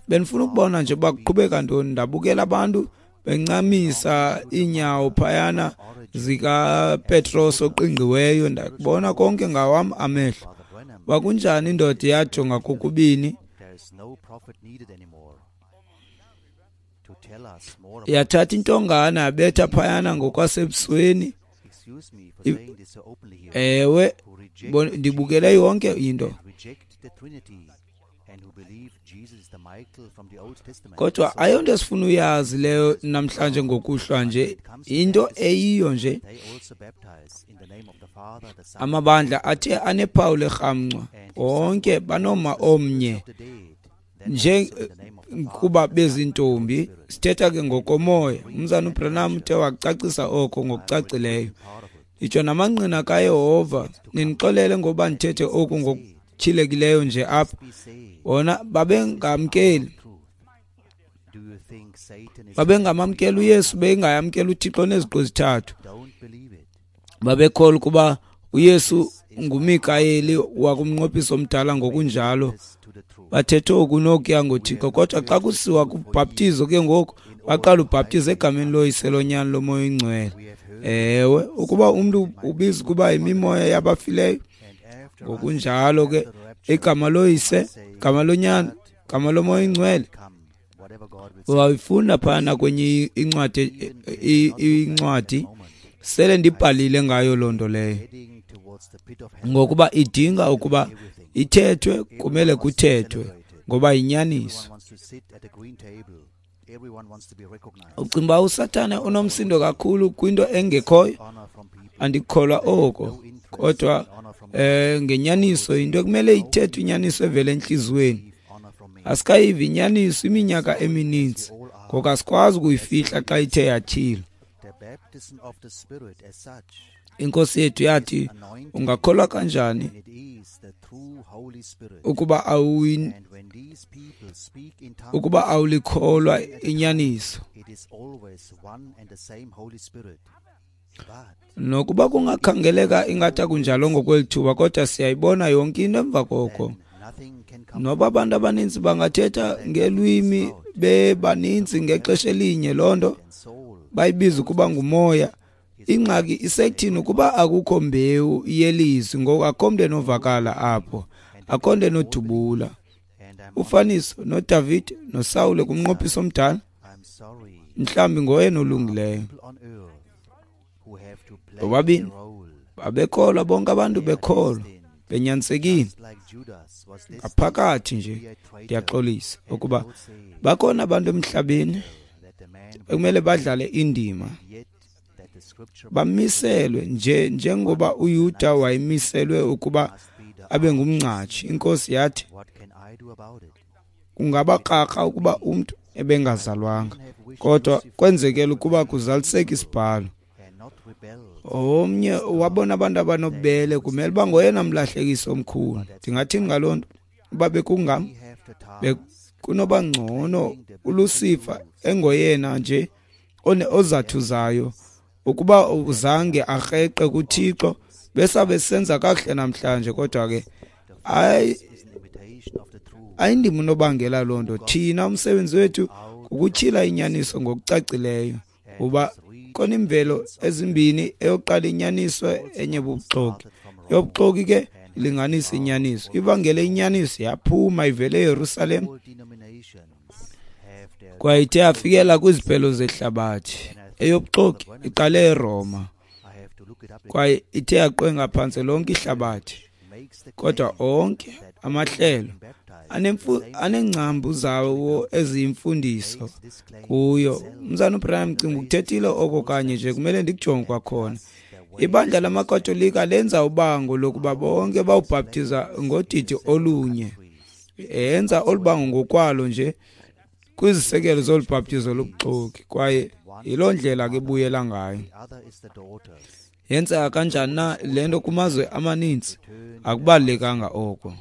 bendifuna ukubona nje uba kuqhubeka ntoni. Ndabukela abantu bencamisa iinyawo phayana zikaPetros oqingqiweyo, ndakubona konke ngawam amehlo. Wakunjani indoda yajonga kokubini, yathatha intongana yabetha phayana ngokwasebusweni. Ewe, ndibukele yonke into. Kodwa ayonto esifuna uyazi leyo namhlanje ngokuhlwa nje, into eyiyo nje. Amabandla athe anephawu lerhamncwa onke banoma omnye nje kuba bezintombi. Sithetha ke ngokomoya. Umzana uBranham uthe wacacisa oko ngokucacileyo. Itsho namangqina kaYehova, nindixolele ngoba ndithethe oku ngokutyhilekileyo nje apha. Bona babengamkeli, babengamamkeli uYesu, bengayamkeli uThixo neziqu ezithathu. Babekholwa ukuba uYesu nguMikayeli wakumnqophiso omdala ngokunjalo. Bathethe oku nokuya ngoThixo, kodwa xa kusiwa kubhaptizo ke ngoku baqala ubhaptizo egameni loYise, loNyana, loMoya oyiNgcwele. Ewe, ukuba umntu ubiza ukuba yimimoya yabafileyo, ngokunjalo ke igama loYise, igama loNyana, igama loMoya oyiNgcwele. Wayifunda phana kwenye incwadi sele ndibhalile ngayo loo nto leyo, ngokuba idinga ukuba ithethwe, kumele kuthethwe ngoba yinyaniso. Ucinga uba uSathane unomsindo kakhulu kwinto engekhoyo? Andikholwa oko, kodwa ngenyaniso into ekumele ithethwe, inyaniso evela entliziyweni. Asikayivi inyaniso iminyaka emininzi, ngoko asikwazi ukuyifihla xa ithe yatyhilwa. Inkosi yethu yathi, ungakholwa kanjani ukuba awulikholwa inyaniso? Nokuba kungakhangeleka ingathi akunjalo ngokweli thuba, kodwa siyayibona yonke into emva koko. Noba abantu abaninzi bangathetha ngelwimi bebaninzi ngexesha elinye, loo nto bayibiza ukuba ngumoya. Ingxaki isekuthini ukuba akukho mbewu yelizwi, ngoku akho mntu enovakala apho, akho nto enodubula. Ufaniso noDavid noSawule kumnqophiso omdala, mhlawumbi ngoyena olungileyo. Bobabini babekholwa, bonke abantu bekholwa, benyanisekile ngaphakathi nje. Ndiyaxolisa ukuba bakhona abantu emhlabeni ekumele badlale indima, bamiselwe nje njengoba uYuda wayemiselwe ukuba abe ngumngcatshi. Inkosi yathi kungabakrakra ukuba umntu ebengazalwanga, kodwa kwenzekela ukuba kuzaliseke isibhalo. Omnye wabona abantu abanobubele kumele uba ngoyena mlahlekisi omkhulu. Ndingathini ngaloo nto? Uba bekungam, bekunoba ngcono uLucifer engoyena nje ozathuzayo ukuba uzange akreqe kuThixo Besabe senza kakuhle namhlanje, kodwa ke ayindim unobangela loo nto. Thina umsebenzi wethu kukutyhila inyaniso ngokucacileyo, kuba khona imvelo ezimbini, eyokuqala inyaniso, enye bubuxoki. Eyobuxoki ke ilinganisa inyaniso. Ivangele inyaniso yaphuma ivele eYerusalem kwaye ithe yafikela kwiziphelo zehlabathi. Eyobuxoki iqale eRoma kwaye ithe yaqwenga phantse lonke ihlabathi. Kodwa onke amahlelo aneengcambu zawo eziyimfundiso kuyo. Mzana uBranham, cinga ukuthethile oko kanye nje, kumele ndikujonge kwakhona. Ibandla lamaKatolika lenza ubango lokuba bonke bawubhaptiza ngodidi olunye. Yenza olu bango ngokwalo nje kwizisekelo zolu bhaptizo lobuxoki, kwaye yiloo ndlela ke ibuyela ngayo. Yenzeka kanjani na le nto kumazwe amaninzi? Akubalulekanga oko.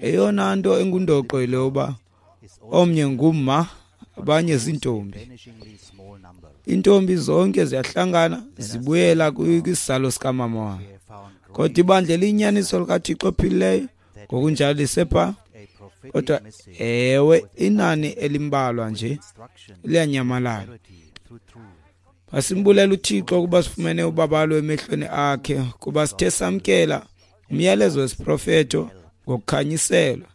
Eyona nto engundoqo yile yoba omnye ngumma, abanye ziintombi. Iintombi zonke ziyahlangana zibuyela kwisizalo sikamama wayo. Kodwa ibandla eliyinyaniso likaThixo ophilileyo ngokunjalo lisepha, kodwa ewe inani elimbalwa nje liyanyamalala. Masimbulela uThixo ukuba sifumene ubabalo emehlweni akhe, kuba sithe samkela umyalezo wesiprofeto ngokukhanyiselwa,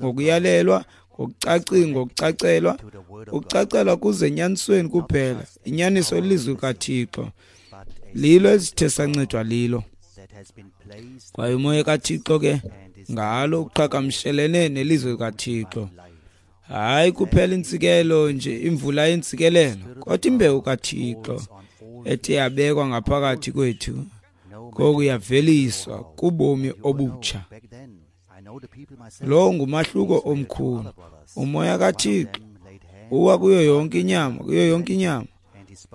ngokuyalelwa, ngokucacelwa, ukucacelwa kuze enyanisweni kuphela. Inyaniso lilizwi kaThixo, lilo esithe sancedwa lilo. Kwaye umoya kaThixo ke ngalo uqhagamshelene nelizwi likaThixo. Hayi kuphela intsikelo nje, imvula yentsikelelo, kodwa imbewu kaThixo ethe yabekwa ngaphakathi kwethu ngoku yaveliswa kubomi obutsha. Lo ngumahluko omkhulu. Umoya kaThixo uwa kuyo yonke inyama, kuyo yonke inyama,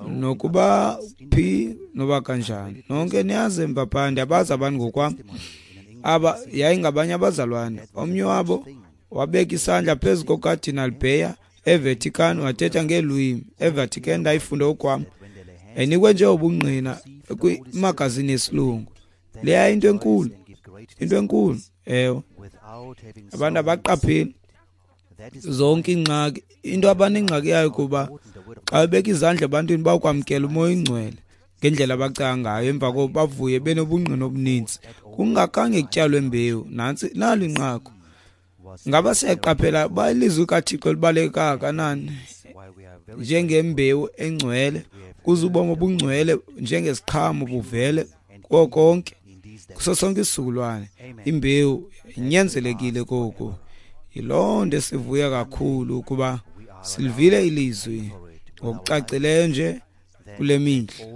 nokuba phi noba kanjani. Nonke niyazi emva phaa, ndiyabazi abantu ngokwam. Aba yayingabanye abazalwane. Omnye wabo wabeka isandla phezu koKardinal Beyer eVatican, wathetha ngeelwimi. eVatican ndayifunda okwam. Yayinikwe nje ubungqina kwimagazini yesilungu. Leya into enkulu, into enkulu. Ewe, abantu abaqapheli zonke iingxaki. Into abanengxaki yayo kuba xa bebeka izandla ebantwini bawukwamkela umoya oyingcwele ngendlela abacinga ngayo, emva koko bavuye benobungqina obuninzi kungakhange kutyalwe mbewu. Nantsi nalo inqaku. Ngaba siyaqaphela uba ilizwi kaThixo libaluleke kangakanani njengembewu engcwele, kuze ubomi obungcwele njengesiqhamo buvele kuko konke, kuso sonke isizukulwane. Imbewu inyanzelekile koku. Yiloo nto esivuya kakhulu ukuba silivile ilizwi ngokucacileyo nje kule mihla.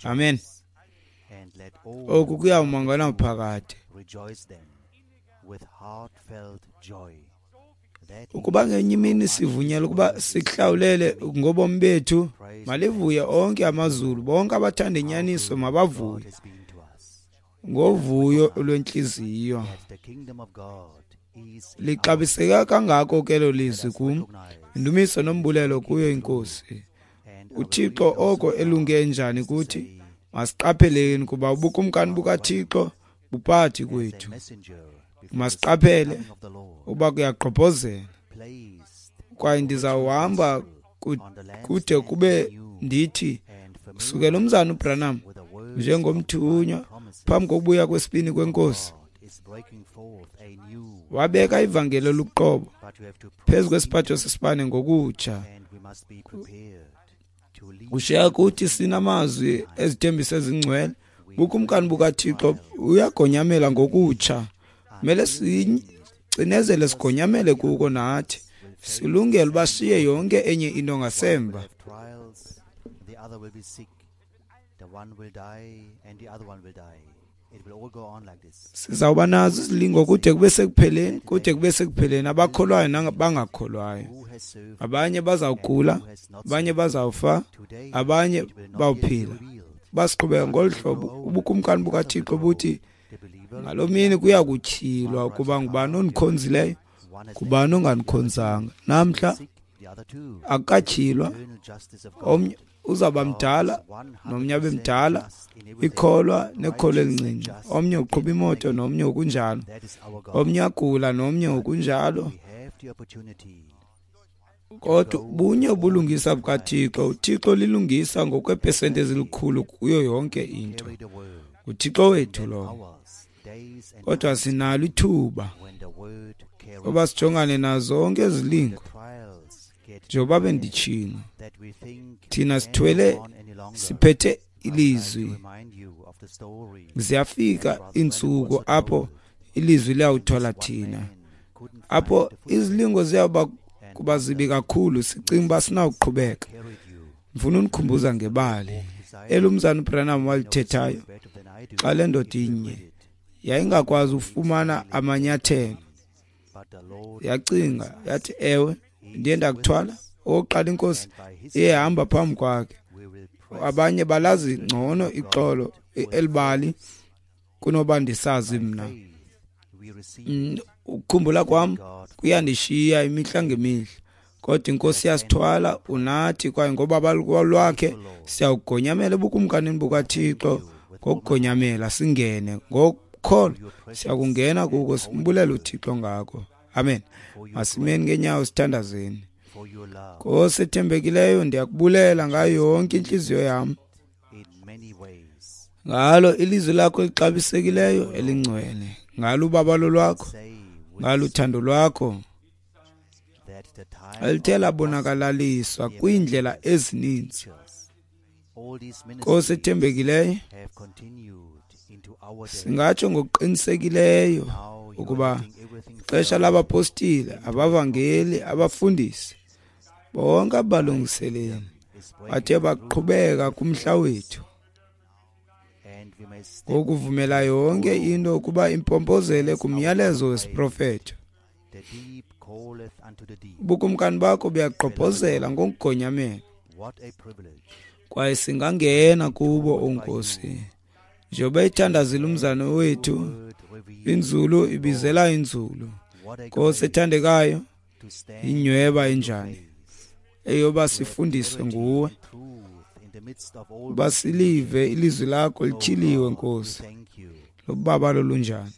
Amen. Oku kuyawuma ngonaphakade. Ukuba ngenye imini sivunyelwa ukuba sikuhlawulele ngobomi bethu, malivuye onke amazulu, bonke abathanda inyaniso mabavuye ngovuyo lwentliziyo. Lixabiseke kangako ke elo lizwi kum, indumiso nombulelo kuyo iNkosi. uThixo oko elunge njani kuthi, masiqapheleni kuba ubukumkani bukaThixo buphakathi kwethu. Masiqaphele uba kuyagqobhozela, kwaye ndizawuhamba kude kube ndithi kusukela umzana uBranham njengomthunywa phambi kokubuya kwesibini kweNkosi wabeka ivangeli oluqobo phezu kwesiphatho sesibane ngokutsha. Ushiya kuthi sinamazwi ezithembiso ezingcwele. Bukumkani bukaThixo uyagonyamela ngokutsha. Kumele sicinezele sigonyamele kuko nathi, silungele uba siye yonke enye into ngasemva. Sizawuba nazo izilingo kude kube sekupheleni, kude kube sekupheleni, abakholwayo nabangakholwayo. Abanye bazawugula, abanye bazawufa, abanye bawuphila. Basiqhubeka ngolu hlobo ubukumkani bukaThixo buthi ngaloo mini kuya kutyhilwa ukuba ngubani ondikhonzileyo, ngubani ongandikhonzanga. Namhla akukatyhilwa, omnye uzawuba mdala nomnye abe mdala, ikholwa nekholwa elincinci, omnye uqhuba imoto nomnye ngokunjalo, omnye agula nomnye ngokunjalo. Kodwa bunye ubulungisa bukaThixo. UThixo lilungisa ngokweepesenti ezilikhulu kuyo yonke into. NguThixo wethu lowo. Kodwa sinalo ithuba oba sijongane nazo zonke ezilingo. Njengoba benditshilo, thina sithwele siphethe ilizwi. Ziyafika iintsuku apho ilizwi liyawuthwala thina, apho izilingo ziyawuba kuba zibi kakhulu, sicinga uba sinawuqhubeka. Ndifuna unikhumbuza ngebali elumzana uBranham walithethayo xa le ndoda inye yayingakwazi ufumana amanyathelo. Yacinga yathi, ewe, ndiye ndakuthwala. Okokuqala inkosi iyehamba phambi kwakhe. Abanye balazi ngcono ixolo elibali kunoba ndisazi mna. Ukukhumbula kwam kuyandishiya imihla ngemihla, kodwa inkosi iyasithwala unathi, kwaye ngobabalo lwakhe siyawugonyamela ebukumkanini bukaThixo. Ngokugonyamela singene ngokukholo, siyakungena kuko, simbulela uThixo ngako. Amen. Masimeni ngeenyawo sithandazeni. Nkosi ethembekileyo, ndiyakubulela ngayo yonke intliziyo yam ngalo ilizwi lakho elixabisekileyo elingcwele, ngalo ubabalo lwakho, ngalo uthando lwakho elithe labonakalaliswa kwiindlela ezininzi. Nkosi ethembekileyo, singatsho ngokuqinisekileyo ukuba ixesha labapostile, abavangeli, abafundisi, bonke abalungiseleli bathe baqhubeka kumhla wethu ngokuvumela yonke into ukuba impompozele kumyalezo wesiprofeto. Ubukumkani bakho buyagqobhozela ngokugonyamela, kwaye singangena kubo, oNkosi. Njengoba ithandazile umzana wethu, inzulu ibizela inzulu. Nkosi ethandekayo, inyweba enjani eyoba sifundiswe nguwe, uba silive ilizwi lakho lityhiliwe, Nkosi, lobabalo lunjani,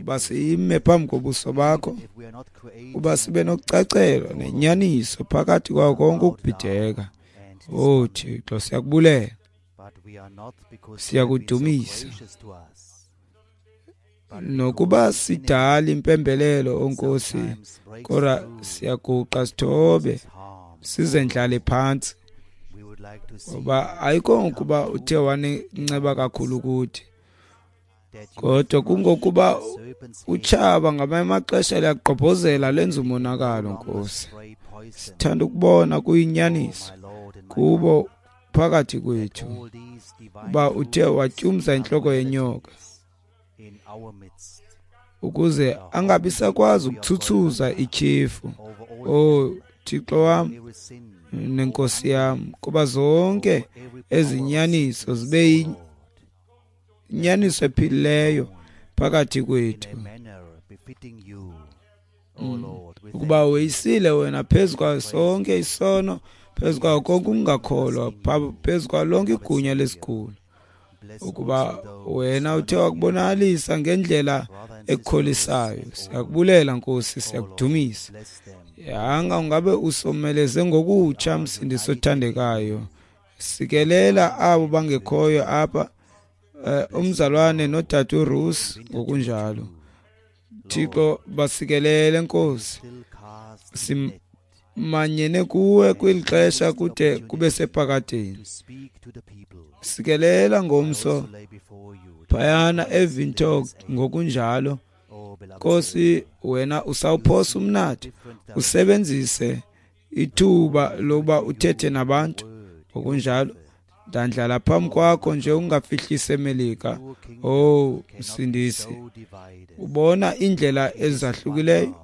uba sime phambi kobuso bakho, uba sibe nokucacelwa nenyaniso phakathi kwawo konke ukubhideka. Oh Thixo, siyakubulela, siyakudumisa. Nokuba sidala impembelelo, oNkosi, kodwa siyaguqa sithobe sizendlale phantsi, ngoba ayikho ukuba uthe wanenceba kakhulu kuthi, kodwa kungokuba utshaba ngamanye amaxesha liyagqobhozela lenza umonakalo. Nkosi, sithanda ukubona kuyinyaniso kubo phakathi kwethu uba uthe watyumza intloko yenyoka ukuze angabi sakwazi ukuthuthuza ityhefu. Oh Thixo wam nenkosi yam, kuba zonke ezinyaniso zibe yinyaniso ephilileyo phakathi kwethu, ukuba weyisile wena phezu kwayo sonke isono, phezu kwayo konke ukungakholwa, phezu kwayo lonke igunya lesigulo, ukuba wena uthe wakubonakalisa ngendlela ekukholisayo. Siyakubulela Nkosi, siyakudumisa. Yanga ungabe usomeleze ngokutsha, Msindisi othandekayo. Sikelela abo bangekhoyo apha, umzalwane nodade uRuth ngokunjalo. Thixo, basikelele Nkosi. Simanyene kuwe kweli xesha kude kube sephakadeni. Sikelela ngomso phayana eVintok ngokunjalo. Nkosi, wena usawuphosa umnatha, usebenzise ithuba lokuba uthethe nabantu ngokunjalo. Ndandlala phambi kwakho nje ungafihlisi eMelika. Oh Msindisi, ubona indlela ezahlukileyo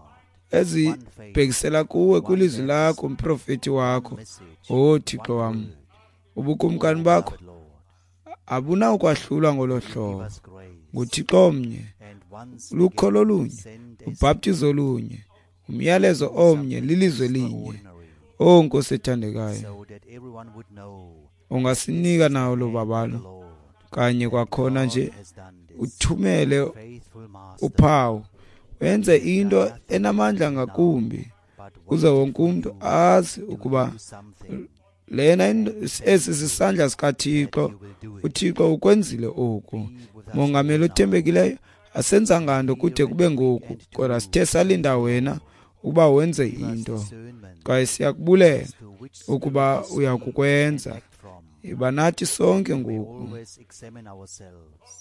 ezibhekisela kuwe kwilizwi lakho, mprofeti wakho. Oh Thixo wam, ubukumkani bakho abunawukwahlulwa ngolo hlobo. NguThixo omnye, lukholo olunye, ubhaptizo olunye, umyalezo omnye, lilizwe linye. O Nkosi ethandekayo, ungasinika nawo lo babalo kanye kwakhona nje, uthumele uphawu, wenze into enamandla ngakumbi, kuze wonke umntu azi ukuba lena esi sisandla sikaThixo. UThixo ukwenzile oku. Mongameli othembekileyo, asenzanga nto kude kube ngoku, kodwa sithe salinda wena ukuba wenze into, kwaye siyakubulela ukuba uyakukwenza. Iba nathi sonke ngoku,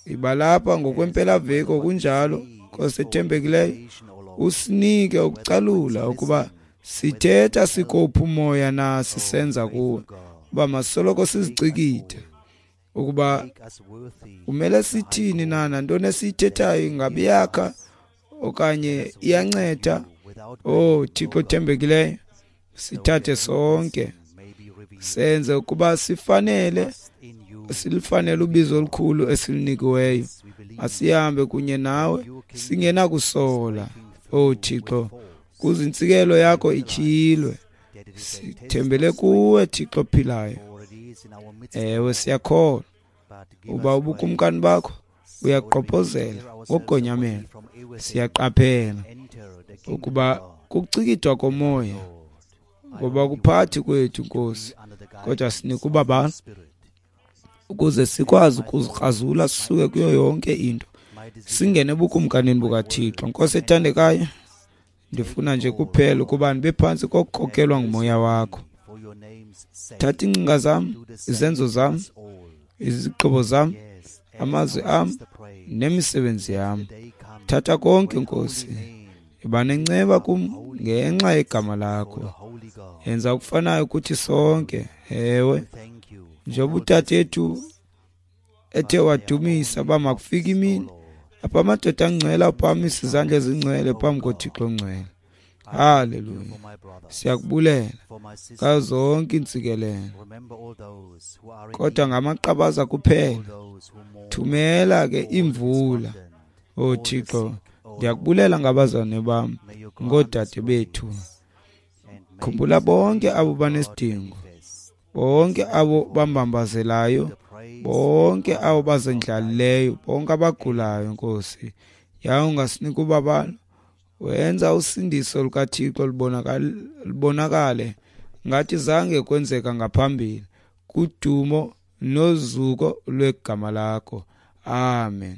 iba lapha ngokwempelaveki okunjalo. Nkosi ethembekileyo, usinike ukucalula ukuba sithetha sikophi umoya na sisenza kuwe, uba masoloko sizicikithe ukuba kumele sithini na, nantoni esiyithethayo ingabe iyakha okanye iyanceda. Oh Thixo othembekileyo, sithathe sonke, senze ukuba sifanele, silifanele ubizo olukhulu esilinikiweyo. Asihambe kunye nawe singenakusola. Oh Thixo, kuze intsikelo yakho ityhilwe. Sithembele kuwe Thixo ophilayo. Ewe, siyakholwa uba ubukumkani bakho uyaqophozela ngogonyamelo. Siyaqaphela ukuba kukucikidwa komoya, ngoba kuphathi kwethu Nkosi, kodwa sinika ubabalo ukuze sikwazi ukuzikrazula sisuke kuyo yonke into, singene ebukumkanini bukaThixo. Nkosi ethandekayo, ndifuna nje kuphela ukuba ndibe phantsi kokukhokelwa ngumoya wakho. Thatha iingcinga zam, izenzo zam, izigqibo zam, amazwi am nemisebenzi yam. Thatha konke Nkosi, iba nenceba kum ngenxa yegama lakho. Yenza okufanayo kuthi sonke. Ewe, njengoba utatethu ethe wadumisa uba makufike imini apha amadoda angcwele aphakamisa izandla ezingcwele phambi koThixo ongcwele. Haleluya, siyakubulela ngazo zonke iintsikelelo, kodwa ngamaqabaza kuphela. Thumela ke imvula, O Thixo. Ndiyakubulela ngabazalwane bam, ngoodade bethu. Khumbula bonke abo banesidingo, bonke abo bambambazelayo, bonke abo bazendlalileyo, bonke abagulayo, Nkosi. Yaye ungasinika ubabalo, wenza usindiso lukaThixo lubonakale ngathi zange kwenzeka ngaphambili, kudumo nozuko lwegama lakho. Amen.